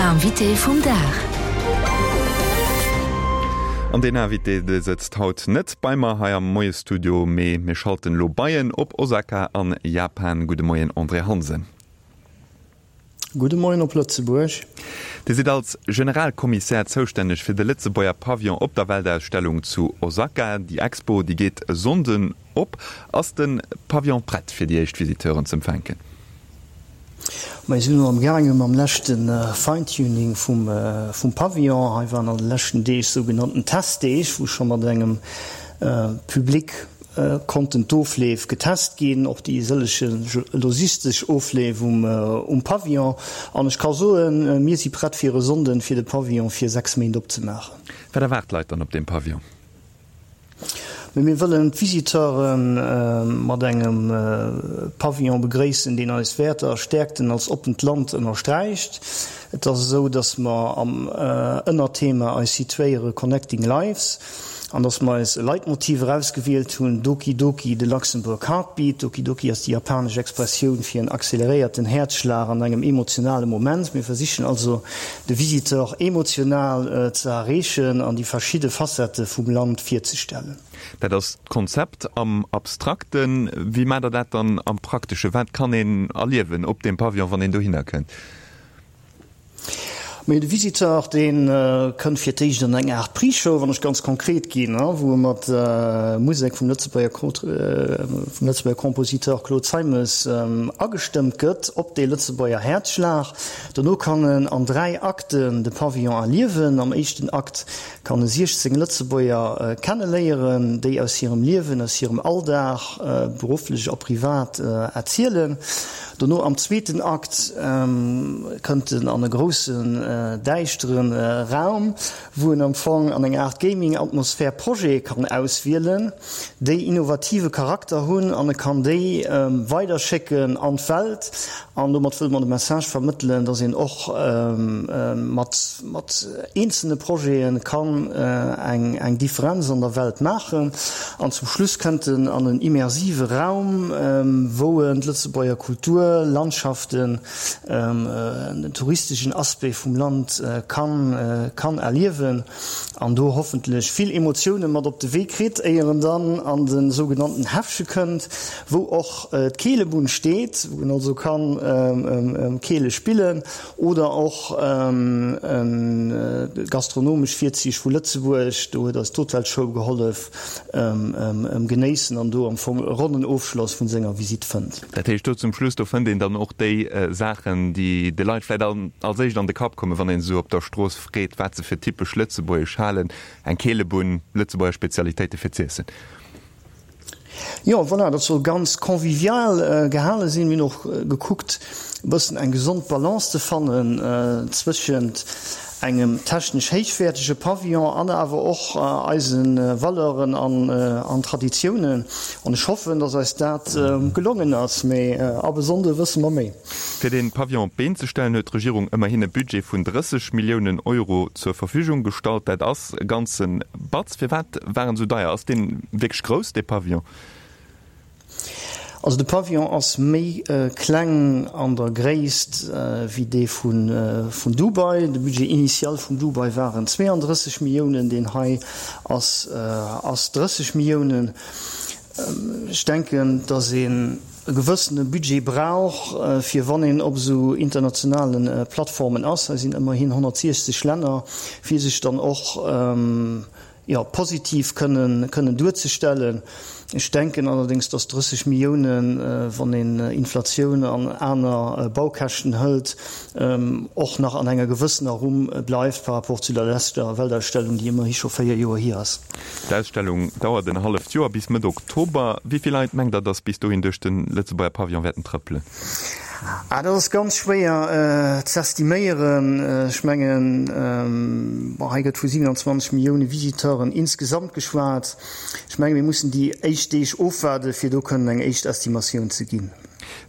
Invité vum Dag. An deen Invité, dee sëtzt haut net bei mer hei am Moiesstudio, mee mir schalten elo bei en op Osaka an Japan. Gudde Moien André Hansen. Gudde Moien op Lëtzebuerg. Dir sidd als Generalkommissär zoustänneg fir de Lëtzebuerger Pavillon op der Weltausstellung zu Osaka. Déi Expo, déi geet e Sonnden op. Ass de Pavillon prett fir déi éischt Visiteuren z'empfänken? Mir sinn elo am gaange mam leschte Fine-Tuning vum Pavillon. Hei waren an de leschten Deeg sougenannten Testdeeg, wou scho mat engem Public konnten d'Ofleef getest ginn, och déi sëllege logistesch Ofleef um Pavillon. An ech ka soen, mir si prett fir e Sonnden, fir de Pavillon fir 6 Méint opzemaachen. Wat erwaart d'Leit dann op deem Pavillon? Mee mir wëllen d'Visiteure mat engem Pavillon begréissen, deen eis Wäerter a Stäerkten als oppent Land ënnersträicht. Et ass esou, datt mer am Ënnerthema eis situéiere Connecting Lives an datt mer eis e Leitmotiv erausgewielt hunn, Doki Doki, the Luxembourg Heartbeat. Doki Doki ass déi japanesch Expressioun fir en acceleréierten Häerzschlag an engem emotionale Moment. Mir versichen also, de Visiteur emotional ze erreechen an déi verschidde Facettë vum Land virzestellen. Dat ass d'Konzept am Abstrakten. Wéi maacht Der dat dann am Prakteschen? Wat kann een erliewen op deem Pavillon, wann een dohinner kënnt? Mee de Visiteur, dee kënnt fir d'éischt an eng Aart Pre-Show, wann ech ganz konkret ginn, wou e mat Musek vum Lëtzebuerger Compositeur Claude Zeimes agestëmmt gëtt op dee Lëtzebuerger Häerzschlag. Dono kann en an 3 Akten de Pavillon erliewen. Am éischten Akt kann e 16 Lëtzebuerger kenneléieren, déi aus hirem Liewen, aus hirem Alldag, berufflech a privat, erzielen. Dono am zweeten Akt kënnt en an e groussen däischteren Raum, wou en am Fong an enger Aart Gaming-Atmosphär Projete kann auswielen, déi innovative Charakter hunn an e kann déi weiderschécken an d'Welt. An domat wëlle mer de Message vermëttelen, dass een och mat mat eenzelne Projete kann eng eng Differenz an der Welt maachen. An zum Schluss kënnt en an en immersive Raum, wou en d'Lëtzebuerger Kultur, Landschaften, den touristeschen Aspect vum Land kann kann erliewen an do hoffentlech vill Emotioune mat op de Wee kritt, éier en dann an de sougenannten Häffche kënnt, wou och d'Keelebunn steet, wou en also kann Keele spillen oder och gastronomesch Virzich vu Lëtzebuerg, do huet eis d'Hotelschoul gehollef. Genéissen an do am Fong e ronnen Ofschloss vun senger Visitt fënnt. Dat heescht, do zum Schluss, do fënnt een dann och déi Saachen, déi de Leit vläicht als éischt an de Kapp kommen, wann een se esou op der Strooss freet, wat se fir typesch lëtzebuergesch halen, eng Keelebunn, Lëtzebuerger Spezialitéite fir z'iessen. Jo, voilà, dat soll ganz convivial gehale sinn. Mir hunn och gekuckt, e bëssen eng gesond Balance ze fannen zwëschent engem technesch héichwäertege Pavillon an awer och eise Valeuren an Traditiounen. An ech hoffen, dass eis dat gelongen ass. Mee ab e Sonnde wësse mer méi. Fir dee Pavillon op d'Been ze stellen, huet d'Regierung ëmmerhin e Budget vun 30 Milliounen Euro zur Verfügung gestallt. Dat ass e ganze Batz. Firwat war en esou deier? Ass dee wierklech grouss, dee Pavillon? Also de Pavillon ass méi kleng an der Gréisst wéi dee vun Dubai. De Budget initial vun Dubai waren 32 Milliounen, deen hei ass ass 30 Milliounen. Ech denken, datt een e gewëssene Budget brauch, fir wann een op esou internationale Plattformen ass, hei sinn ëmmerhin 160 Länner, fir sech dann och, jo, positiv kënnen, kënnen duerzestellen. Ech denken allerdéngs, dass 30 Milliounen, wann een Inflatioun an aner Baukäschten hëlt, och nach an enger gewëssener Rumm bleift par rapport zu der leschter Weltausstellung, déi ëmmerhi scho 4 Joer hier ass. D'Ausstellung dauert en halleft Joer, bis Mëtt Oktober. Wéi vill Leit mengt Der, dass bis dohin duerch de Lëtzebuerger Pavillon wäerten trëppelen? Ah, dat ass ganz schwéier z'estiméieren. Ech mengen, bon, hei gëtt vu 27 Millioune Visiteuren insgesamt geschwat. Ech menge mir mussen déi éischt Deeg ofwaarden, fir do kënnen eng éischt Estimatioun ze ginn.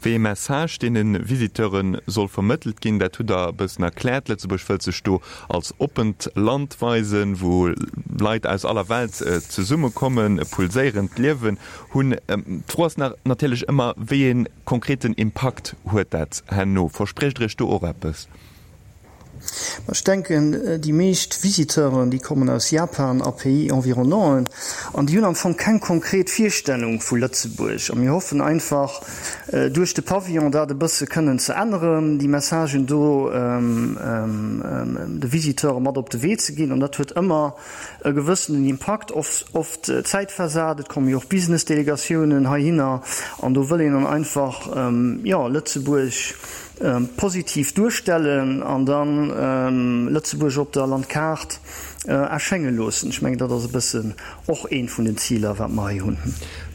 Wéi ee Message deene Visiteure soll vermëttelt ginn, dat hutt Der e bëssen erkläert. Lëtzebuerg wëllt sech do als oppent Land weisen, wou Leit aus aller Welt zesummekommen, e pulséierend Liewen hunn. D'Fro ass nach natierlech ëmmer, wéi ee konkreten Impakt huet dat herno? Verspriecht Der Iech do och eppes? Ech denken, déi meescht Visiteuren, déi kommen aus Japan a Pays environnanten an déi hunn am Fong keng konkret Virstellung vu Lëtzebuerg. A mir hoffen einfach, duerch de Pavillon dat e bësse kënnen ze änneren, déi Messagen do de Visiteure mat op de Wee ze ginn. An dat huet ëmmer e gewëssenen Impakt, oft zäitversat. Et komme jo och Business-Delegatiounen heihinner an do wëll een dann einfach, jo, Lëtzebuerg positiv duerstellen an dann Lëtzebuerg op der Landkaart erschénge loossen. Ech mengen, dat ass e bëssen och eent vun den Ziler, wat mer hei hunn.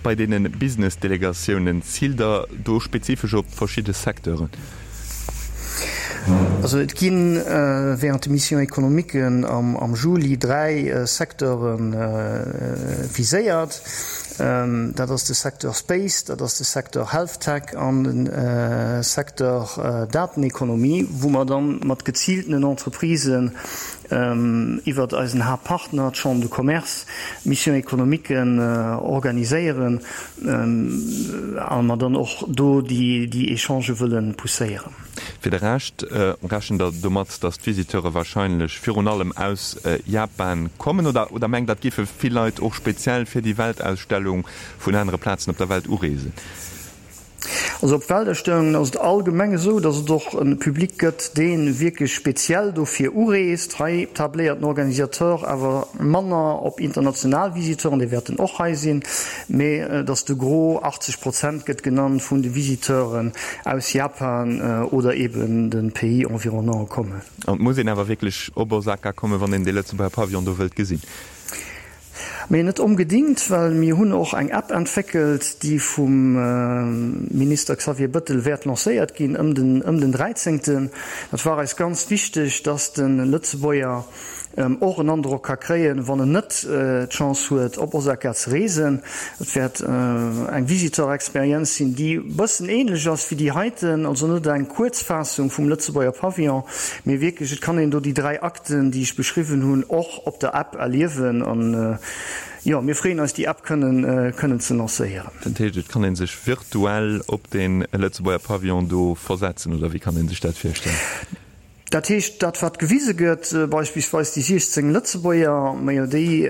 Bei deene Business-Delegatiounen, ziilt Der do spezifesch op verschidde Secteuren? Also et gi während de Missions économiques am Juli 3 Secteure viséiert. Dat ass de Secteur Space, dat ass de Secteur Health-Tech an de Secteur Datenekonomie, wou mer da mat geziiltenen Entreprisen iwwert eisen Haaptpartner, d'Chambre de Commerce, Missions économiquen organiséieren a mer dann och do déi Echangë wëlle pousséieren. Fir de Rescht rechent der domat, datt d'Visiteure warscheinlech virun allem aus Japan kommen? Oder oder mengt der, et géife vill Leit och speziell fir déi Weltausstellung vun anere Plazen op der Welt ureesen? Also op Weltausstellungen ass et allgemeng esou, datt et och e Public gëtt, dee wierklech speziell dofir ureest. Hei tabléiert den Organisateur awer manner op international Visiteuren, déi wäerten och hei sinn, mee datt de Gros, 80 Prozent gëtt genannt, vun de Visiteuren aus Japan oder eben de Pays environnants kommen. An et muss een awer wierklech op Osaka kommen, wann een dee Lëtzebuerger Pavillon do wëllt gesinn? Mee net ongedingt, well mir hunn och eng App entwéckelt, déi vum Minister Xavier Bëttel wäert lancéiert ginn ëm den ëm den dräizéngten. Dat war eis ganz wichteg, dass de Lëtzebuerger och en Androck ka kréien, wann en net d'Chance huet, op Osaka ze reesen. Et wäert eng Visiteur-Experienz sinn, déi e bëssen änlech ass wéi déi heiten, also net eng Kuerzfaassung vum Lëtzebuerger Pavillon, mee wierklech, et kann een do déi 3 Akten, déi ech beschriwwen hunn, och op der App erliewen. An jo, mir freeën eis, déi App kënnen kënnen ze lancéieren. Dat heescht, et kann ee sech virtuell op dee Lëtzebuerger Pavillon do versetzen, oder wéi kann ee sech dat virstellen? Dat heescht, dat wat gewise gëtt, beispillsweis déi 16 Lëtzebuerger, majo déi,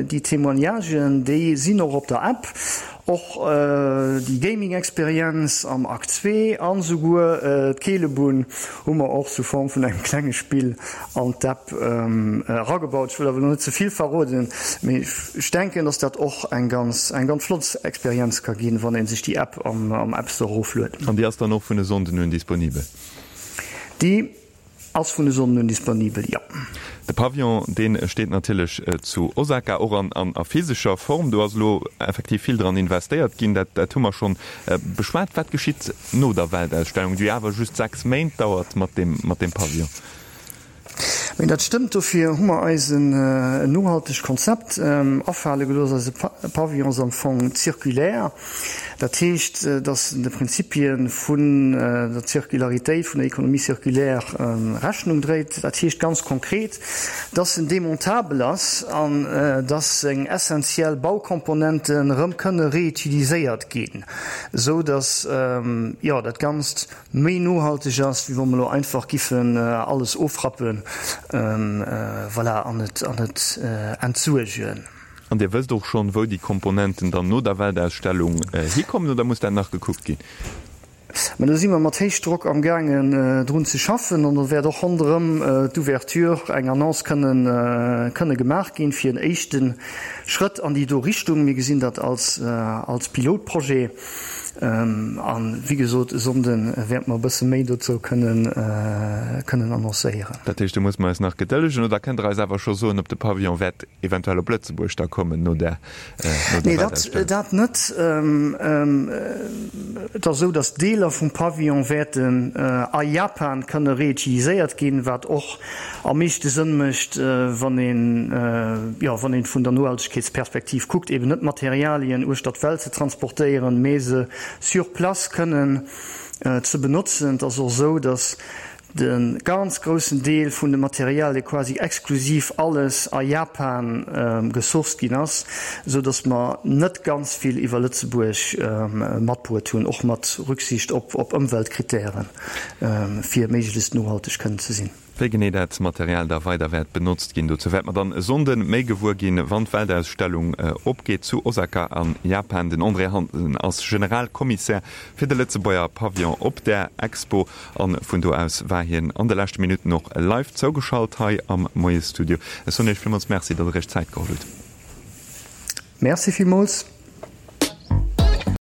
déi Témoignagen, déi sinn och op der App, och déi Gaming-Experienz am Akt zwee an esouguer d'Keelebunn hu mer och sous forme vun engem klenge Spill an d'App eragebaut. Ech wëll awer elo net ze vill verroden, mee ech denken, dass dat och eng ganz, eng ganz flott Experienz ka ginn, wann ee sech déi App am App Store erofluet. An déi ass dann och vun e Sonnden un disponibel? Déi ass vun e Sonnden un disponibel, jo. De Pavillon, dee steet natierlech zu Osaka, och an a physescher Form. Do ass elo effektiv vill dran investéiert ginn, dat dat hu mer schonn beschwat. Wat geschitt no der Weltausstellung, déi awer just 6 Méint dauert, mat deem mat deem Pavillon? Mee dat stëmmt, dofir hu mer eis en nohaltegt Konzept afale gelooss. Eise Pavillon ass am Fong circulaire. Dat heescht, dass en de Prinzipie vun der Zirkularitéit, vun der Économie circulaire Rechnung dréit. Dat heescht ganz konkret, dass en demontabel ass an dass seng essentiell Baukomponenten erëm kënne reutiliséiert ginn, esou dass, jo, dat Ganzt méi nohalteg ass, wéi wa mer elo einfach giffen alles ofrappen, voilà, an et, an et entsuergen. An Dir wësst och schonn, wou déi Komponenten dann no der Weltausstellung hikommen, oder muss dat nach gekuckt ginn? Mä do si mer mat Héichdrock amgaangen drun ze schaffen an do wäert och ronderëm d'Ouverture eng Annonce kënnen, kënne gemaach ginn, fir en éischte Schrëtt an déi do Richtung. Mir gesinn dat als, als Pilotprojet. An, wéi gesot, e Sonnde wäerte mer e bësse méi dozou kënnen annoncéieren. Dat heescht, do musse mer eis nach gedëllegen. Oder kënnt Der eis awer scho soen, ob de Pavillon wäert eventuell op Lëtzebuerg da kommen no der Nee, dat net. Et ass esou, datt Deeler vum Pavillon wäerten a Japan kënne reutiliséiert ginn, wat och am meeschte Sënn mécht, wann een, jo, wann een vun der Nohaltegkeetsperspektiv kuckt, eben net Materialien uechter d'Welt ze transportéieren, mee se sur place kënnen ze benotzen. Et ass och esou, datt de ganz groussen Deel vun de Materialie quasi exklusiv alles a Japan gesourced ginn ass, esou datt mer net ganz vill iwwer Lëtzebuerg matbruet hunn, och mat Rücksicht op Ëmweltkritären, fir méiglechst nohalteg kënnen ze sinn. Wéi genee dat Material da weider wäert benotzt ginn, dozou wäerte mer dann e Sonnde méi gewuer ginn, wann d'Weltausstellung opgeet zu Osaka a Japan. Den André Hansen ass Generalkommissär fir de Lëtzebuerger Pavillon op där Expo a vun do aus war hien an de leschte Minutten och live zougeschalt hei am Moiesstudio. Ech soen Iech villmools Merci, datt Der Iech Zäit geholl hutt. Merci villmools.